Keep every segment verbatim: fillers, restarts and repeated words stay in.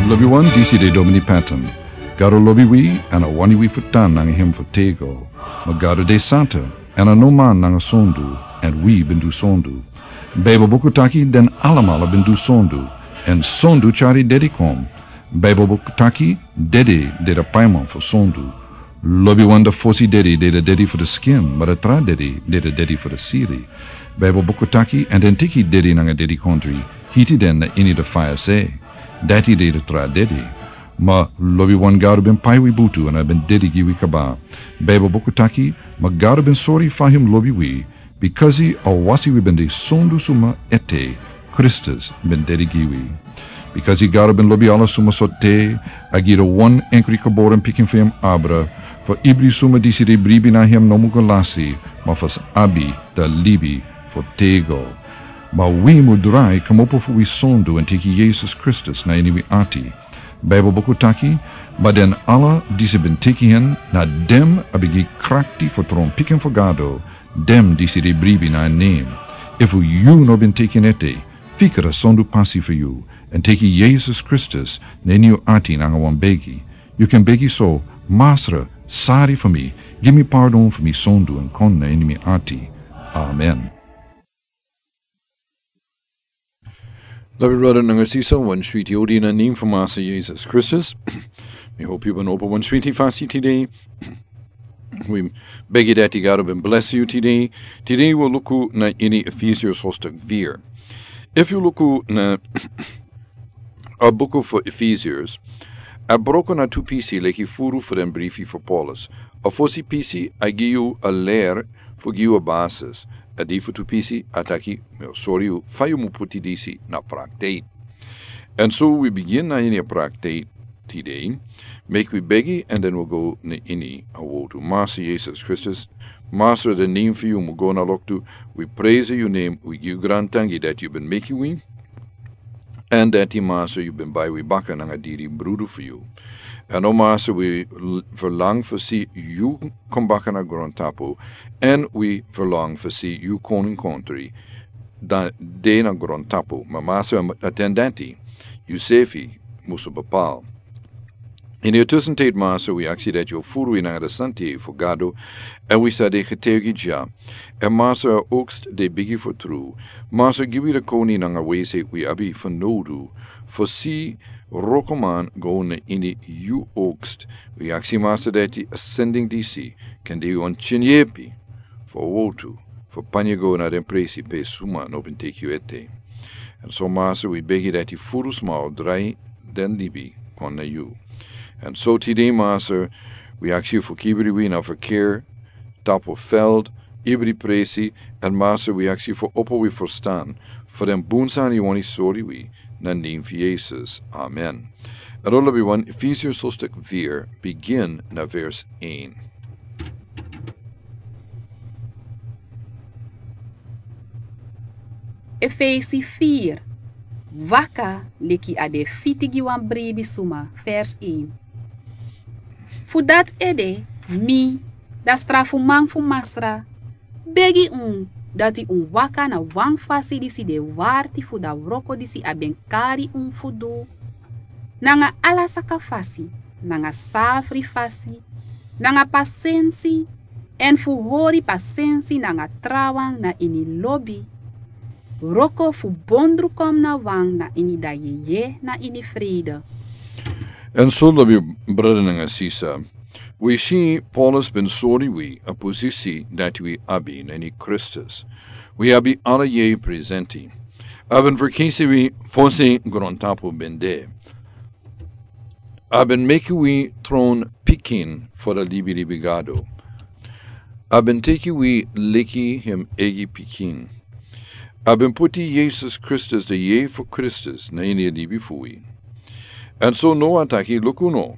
Lobiwan, disi de Domini Patton. Gado lobi wi, èn a wani wi fu tan nanga hem fu tego. Ma Gado de santa, èn a no man nanga sondu, èn wi ben du sondu. Baibel buku taki den alamala ben du sondu, èn sondu tyari dedi kon. Baibel buku taki dedi de a paiman fu sondu. Lobiwan, a fosi dedi de a dedi fu a skin, ma a tra dedi de a dedi fu a siri. Baibel buku taki, èn den teki dedi nanga dedikondri, hiti den na ini a faya se. Dati de a tra dedi. Ma lobiwan, Gado ben pai wi butu èn a ben dedi gi wi kaba. Baibel buku taki, ma Gado ben sori fa hem lobi wi, bikasi a wasi wi ben de sondu suma ete, Kristus ben dedi gi wi. Bikasi Gado ben lobi ala suma so te, a gi a wan enkri geboren pikin fu hem abra, fu ibri suma disi de bribi na hem no mu go lasi, ma fu sa abi a libi fu tego. Ma wi mu drai kmopo fu wi sondu èn teki Yesus Kristus na ini wi ati. Baibel buku taki, ma den ala disi ben teki en, na den a ben gi krakti fu tron pikin fu Gado, den disi de bribi na en nen. Efu yu no ben teki en ete, fika a sondu pasi fu yu, èn teki Yesus Kristus na ini yu ati nanga wan begi. Yu kan begi so: Masra, sari fu mi, gi mi pardon fu mi sondu èn kon na ini mi ati. Amen. Lobi brada nanga sisa, wan switi odi na nen fu Masa Yesus Kristus. Mi hopi yu ben opo wan switi fasi tide. Wi begi dati Gado ben blesi yu tide. Tide wi luku na ini Efesius hostak vir. Efu yu luku na a buku fu Efesius, a broko na tu pisi leki furu fu den brifi fu Paulus. A fosi pisi a gi yu a ler fu gi yu a basis. A di fu tu pisi a taki, mi o sori yu fa yu mu puti disi na praktiki. Èn so wi bigin na ini a praktiki tide. Meki wi begi èn den wi go na ini a wotu. Masa Yesus Kristus, Masa, den nen fu yu mu go na loktu. Wi presi yu nen, wi gi yu grantangi dati yu ben meki wi. Èn dati Masa yu ben bai wi baka nanga diri brudu fu yu. Èn o Masa, wi l-, verlang fu si yu kon baka na grontapu, èn wi verlang fu si yu koninkontri dan de na grontapu. Ma Masa, a ten dati, yu sefi musu bepal. Ini a tusentid Masa, wi aksi dati yu furu wi nanga a santi fu Gado, èn wi sa de getuigi dya. Èn Masa, a oogst de bigi fu tru. Masa, gi wi a koni nanga wese wi abi fu nodu fu si wrokoman go na ini yu oogst. Wi aksi Masa dati a sending disi kan de wan tyinyepi fu a wotu fu panya go na den presi pe suma no ben teki yu ete. Èn so Masa, wi begi dati furu sma o drai den libi kon na yu. Èn so tide Masa, wi aksi yu fu kibri wi na verkeer, tapu veld, ibri presi, èn Masa, wi aksi yu fu opo wi ferstan fu den bun sani yu wani sori wi, na nen fu Yesus. Amen. Èn lobiwan, Efesius hostak vir, bigin na vers een. Efesi vir, waka leki a de fiti gi wan bribi suma, vers een. Fu dati ede, mi, a strafuman fu Masra, begi un dati un waka na wan fasi disi de warti fu a wroko disi a ben kari un fu du, nanga ala saka fasi, nanga safri fasi, nanga pasensi, èn fu hori pasensi nanga trawan na ini lobi, wroko fu bondru kon na wan na ini a yeye na ini frede. Èn so lobi brada nanga sisa, wi si Paulus ben sori wi a posisi dati wi abi na ini Kristus. Wi abi ala yeye presenti. A ben ferkisi wi fosi grontapu ben de. A ben meki wi tron pikin fu a libilibi Gado. A ben teki wi leki hem eigi pikin. A ben puti Yesus Kristus, a yeye fu Kristus, na ini a libi fu wi. Èn so now a taki, luku now,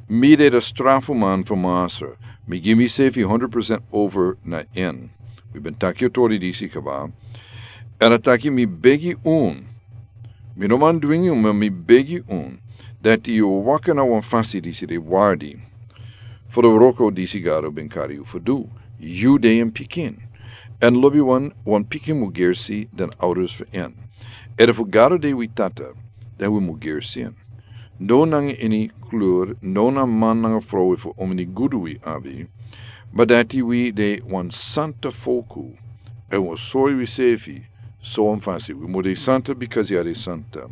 mi de a strafuman fu Masra, mi gi misefi hundred percent over na en. Wi ben taki a tori disi kaba. Èn a taki, mi begi un, mi no man dwingi un, ma mi begi un dati yu waka na wan fasi disi de warti fu a wroko disi Gado ben kari yu fu du. Yu de en pikin. Èn lobiwan, wan pikin mu gersi den ouders fu en. Èn efu Gado de wi Tata, dan wi mu gersi en. no nanga ini klur, no na man nanga frow fu omini gudu wi abi, ma dati wi de wan santa foku, en wi sori wi sefi, so wan fasi, wi mu de santa because ya de santa.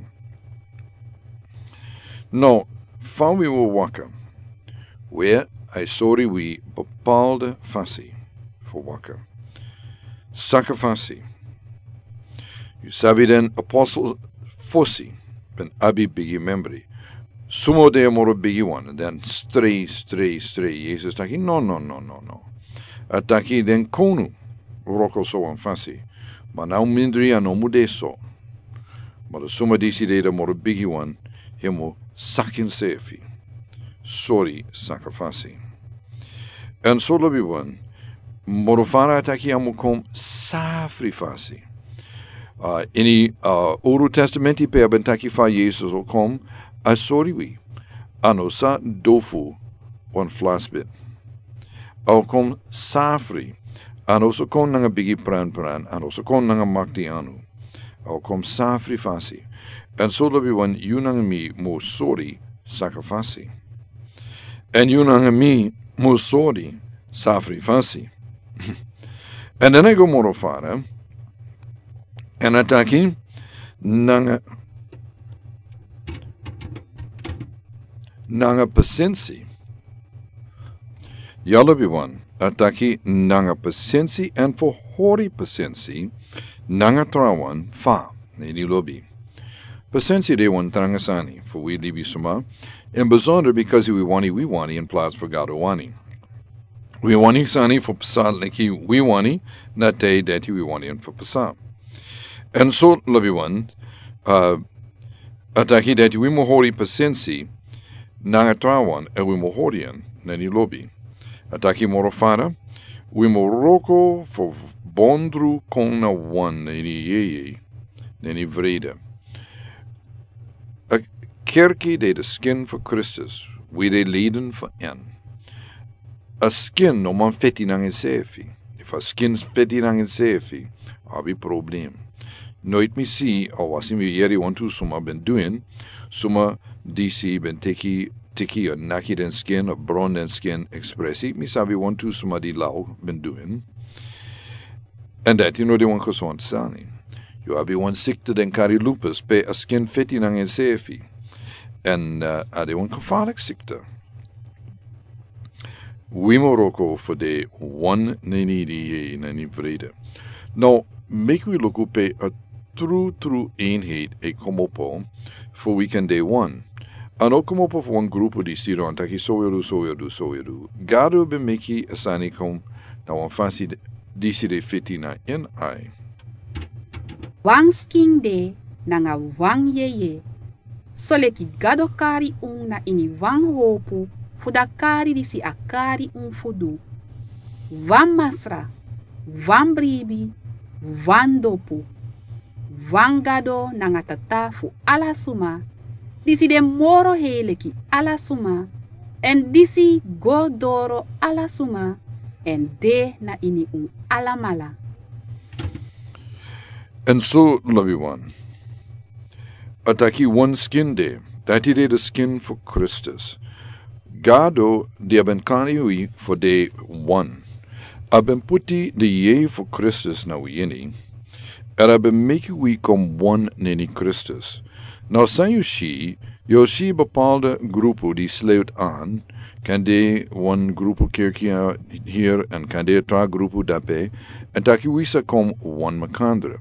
No, fa wi wi waka, we a sori wi bepaalde fasi fu waka. Saka fasi. Yu sabi den apostel fosi ben abi bigi membri. Sumo de moro bigi wan, den strei, strei, strei. Yesus taki, no, no, no, no, no. A taki den konu, roko so wan fasi. Ma na un mindri a no mu de so. Ma den suma disi de den moro bigi wan, hemo sakin sefi. Sori saka fasi. En so lobi wan, moro fara a taki a mu kon safri fasi. Uh, ini, uh, Uru Testamenti pe a ben taki fa Yesus o kon, a sori wi. A no sa dofu wan flasbit. A o kon safri. A no sa kon nanga bigi pran pran. A no sa kon nanga makti anu. A o kon safri fasi. En so lobi wan yu nanga mi mu sori saka fasi. En yu nanga mi mu sori safri fasi. En den a go moro fara. En a taki nanga, nanga pasensi. Ya lobi wan, a taki nanga pasensi en fu hori pasensi, nanga trawan fa, na ini lobi. Pasensi de wan tranga sani, fu wi libisma, en besonder because wi wani, wi wani, in plaats fu Gado wani. Wi wani sani fu pasa leki wi wani, na te dati wi wani en fu pasa. En so lobi wan, uh, a taki dati wi mu hori pasensi, nanga trawan, en wi mu hori en, na ini lobi. A taki moro fara, wi mu roko fu bondru kon na wan na ini yeye, na ini vrede. A kerki de de skin fu Kristus, wi de leden fu en. A skin no man feti nanga ensefi. Efu a skin feti nanga ensefi, a abi problem. Noit mi si, a wasi mi yeri wantu suma ben du en, suma disi ben teki, teki a naki den skin, a bron den skin ekspresi, mi sabi wantu suma di lau ben du en. En dati no de wan kosonti sani. Yu abi wan sikte den kari lupus pe a skin feti nanga ensefi. En, uh, a de wan kofalik sikte. Wi mu roko fu de wan na ini di ye na ini vrede. No, meki wi luku pe a tru, tru eenheid e komopo fu wi kan de wan. A no komopo fu wan grupu di sidon taki so wi o du, so wi o du, so wi o du. Gado ben meki a sani kon na wan fasi disi de feti na en ai. Wan skin de nanga wan yeye. Soleki Gado kari un na ini wan hopu fu da kari disi a kari un fu du. Wan Masra, wan bribi, wan dopu. Wan Gado nanga Tata fu ala suma, disi de moro hei leki ala suma, en disi go doro ala suma, en de na ini un alamala. En so lobi wan. A taki wan skin de, dati de de skin fu Kristus. Gado di a ben kani wi fu de wan. A ben puti de ye fu Kristus na wi ini. En a ben meki wi kon wan na ini Kristus. Na san yu si, yu si bepaalde grupu di sluit an, kan de wan grupu kerki hier en kan de tra grupu dape, en taki wi sa kon wan makandra.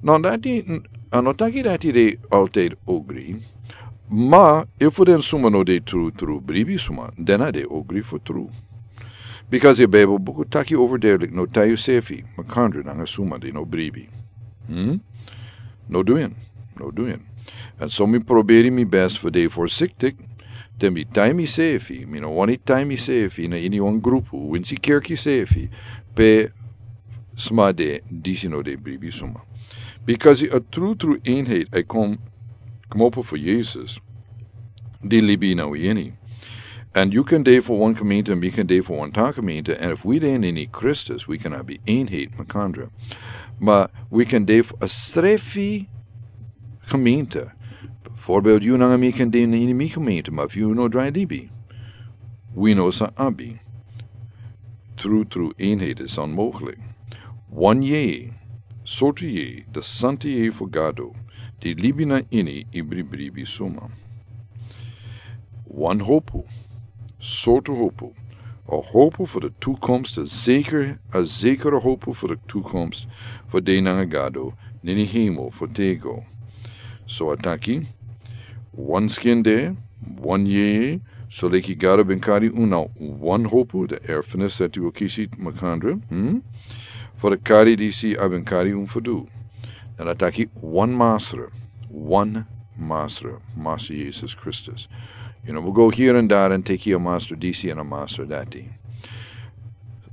No dati, a no taki dati de altijd ogri. Ma efu den suma no de tru, tru bribi suma, den a de ogri fu tru. Because e Bijbel buku taki over duidelijk, no tai yusefi makandra nanga suma di no bribi. Hmm? No du en, no du en. En so mi proberi mi best fu de voorzichtig, te mi tai misefi, mi no wani tai misefi na ini wan grupu, winsi kerki sefi, pe sma de disi no de bribi suma. Because a tru, tru eenheid e kon, komopo fu Jesus, di libi na wi ini. En yu kan de fu wan gemeente, mi kan de fu wan tra gemeente, en efu wi de na ini Kristus, wi kan abi eenheid makandra. Ma wi kan de fu a srefi gemeente, Voorbeeld, yu nanga mi kan de na ini mi gemeente, maar fu yu no drai libi. Wi no sa abi. Tru tru eenheid is onmogelijk. Wan yeye, sortu yeye, de santa yeye fu Gado, di libi na ini ibri bribi suma. Wan hopu, sortu hopu. A hopu fu de toekomst, a zeker, a zekere hopu fu de toekomst, fu de nanga Gado na ini hemel fu tego. So a taki, wan skin de, wan yeye, so leki Gado ben kari unu na wan hopu, de erfenis dati wi o kisi makandra, hmm? Fu de kari disi a ben kari unu fu du. Dan a taki wan masra, wan masra, Masra Yesus Kristus. Yu no mus go hiri en dari èn teki a masra disi èn a masra dati.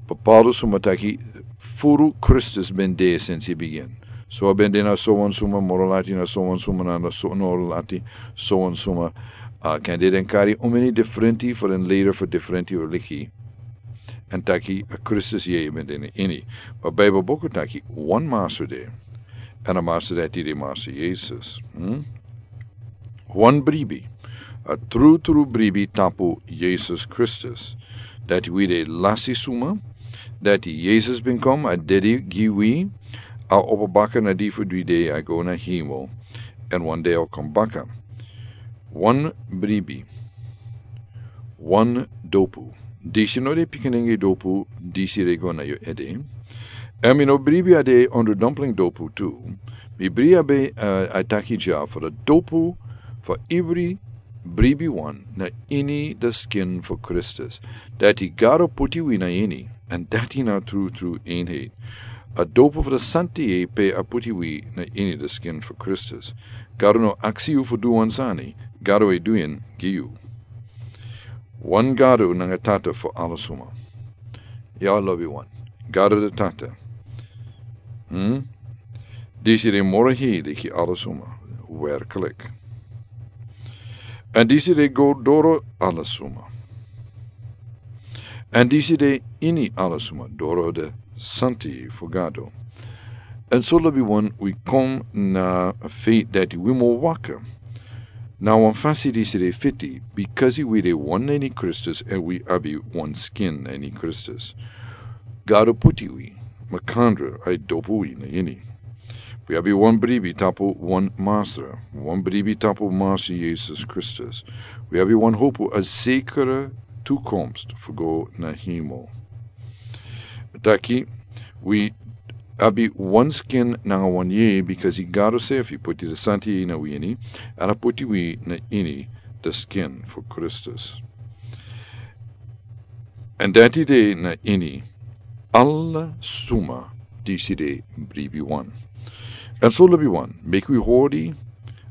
Bepaalde suma taki furu Kristus ben de sensi bigin. So a ben de na sowan suma, moro lati na sowan suma, na, na so, moro lati sowan suma. A kan de den kari omeni diferenti fu den leden fu diferenti religi. Èn taki a Kristus yeye ben de na ini. Ma Bijbel buku taki wan masra de. Èn a masra dati de Masra Yesus. Hmm? Wan bribi, a tru tru bribi tapu Yesus Kristus. Dati wi de lasi suma, dati Yesus ben kon, a dedi gi wi, a opo baka na di fu dri dei, a go na hemel, èn wan dei a o kon baka. Wan bribi, wan dopu. Disi no de pikinenge dopu, disi de go na yu ede. Èn mi no bribi a de ondro dumpling dopu tu. Mi bribi a be, eh, a taki dya fu de dopu fu ibri bribi wan na ini de skin fu Kristus. Dati Gado puti wi na ini, èn dati na tru tru eenheid. A dopu fu de santa yeye pe a puti wi na ini de skin fu Kristus. Gado no aksi yu fu du wan sani, Gado e du en gi yu. Wan Gado nanga Tata fu ala suma. Ya lobi wan. Gado de Tata. Hmm? Disi de moro hei leki ala suma. Werkelijk. Èn disi de go doro ala suma. Èn disi de ini ala suma, doro de santa yeye fu Gado. Èn so lobi wan wi kon na feit dati wi mu waka na wan fasi disi de fiti, bikasi wi de wan na ini Kristus èn wi abi wan skin na ini Kristus. Gado puti wi makandra, a e dopu wi na ini. Wi abi wan bribi tapu wan Masra, wan bribi tapu Masra Yesus Kristus. Wi abi wan hopu, a zekere toekomst fu go na hemel. Taki, wi abi wan skin nanga wan yeye, bikasi Gado sefi puti de santa yeye na wi ini, èn a puti wi na ini de skin fu Kristus. Èn dati de na ini ala suma disi de bribi wan. Èn so lobi wan, meki wi hori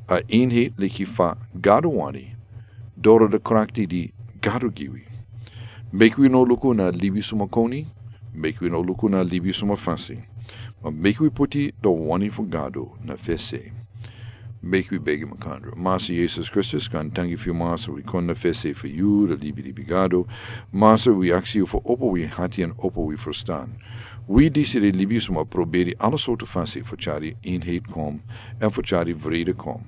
a eenheid leki fa Gado wani, doro de krakti di Gado gi wi. Meki wi no luku na libisma koni, meki wi no luku na libisma fasi. Ma meki wi puti de wani fu Gado na fesi. Meki wi begi makandra. Masra Yesus Kristus, gaantangi fu yu Masra, wi kon na fesi fu yu, de libilibi Gado. Masra, wi aksi yu fu opo wi ati èn opo wi ferstan. Wi disi de libisma proberi ala sortu fasi fu tyari eenheid kon, èn fu tyari vrede kon.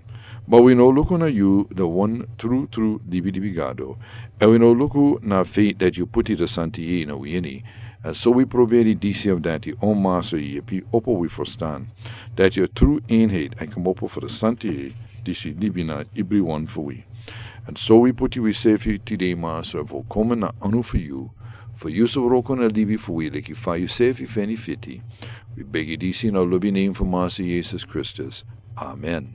Ma wi no luku na yu, de wan tru tru libilibi Gado. Èn wi no luku na feit dati yu puti de santa yeye na wi ini. Èn so wi proberi disi of dati, o Masra, yepi opo wi ferstan. Dati a tru eenheid e kmopo fu de santa yeye disi libi na ibri wan fu wi. Èn so wi puti wi sefi tide Masra, fu kon na anu fu yu. Fu yu sa wroko na libi fu wi leki fa yu sefi feni fiti. Wi begi disi na lobi nen fu Masra Yesus Kristus. Amen.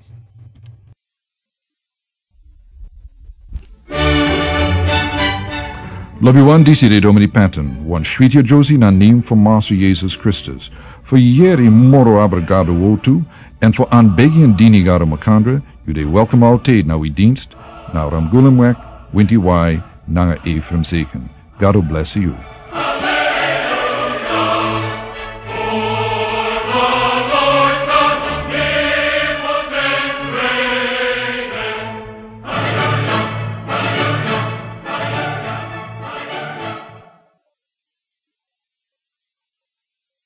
Lobi wan, disi de Domini Patton, wan switi a Josie na nen fu Masra Yesus Kristus. Fu yeri moro abra Gado wortu, èn fu anbegi èn dini Gado makandra, yu de welkom altijd na wi dienst, na Ramgulumweg, Winti Wai, nanga Ephraim Zeken. Gado blesi yu.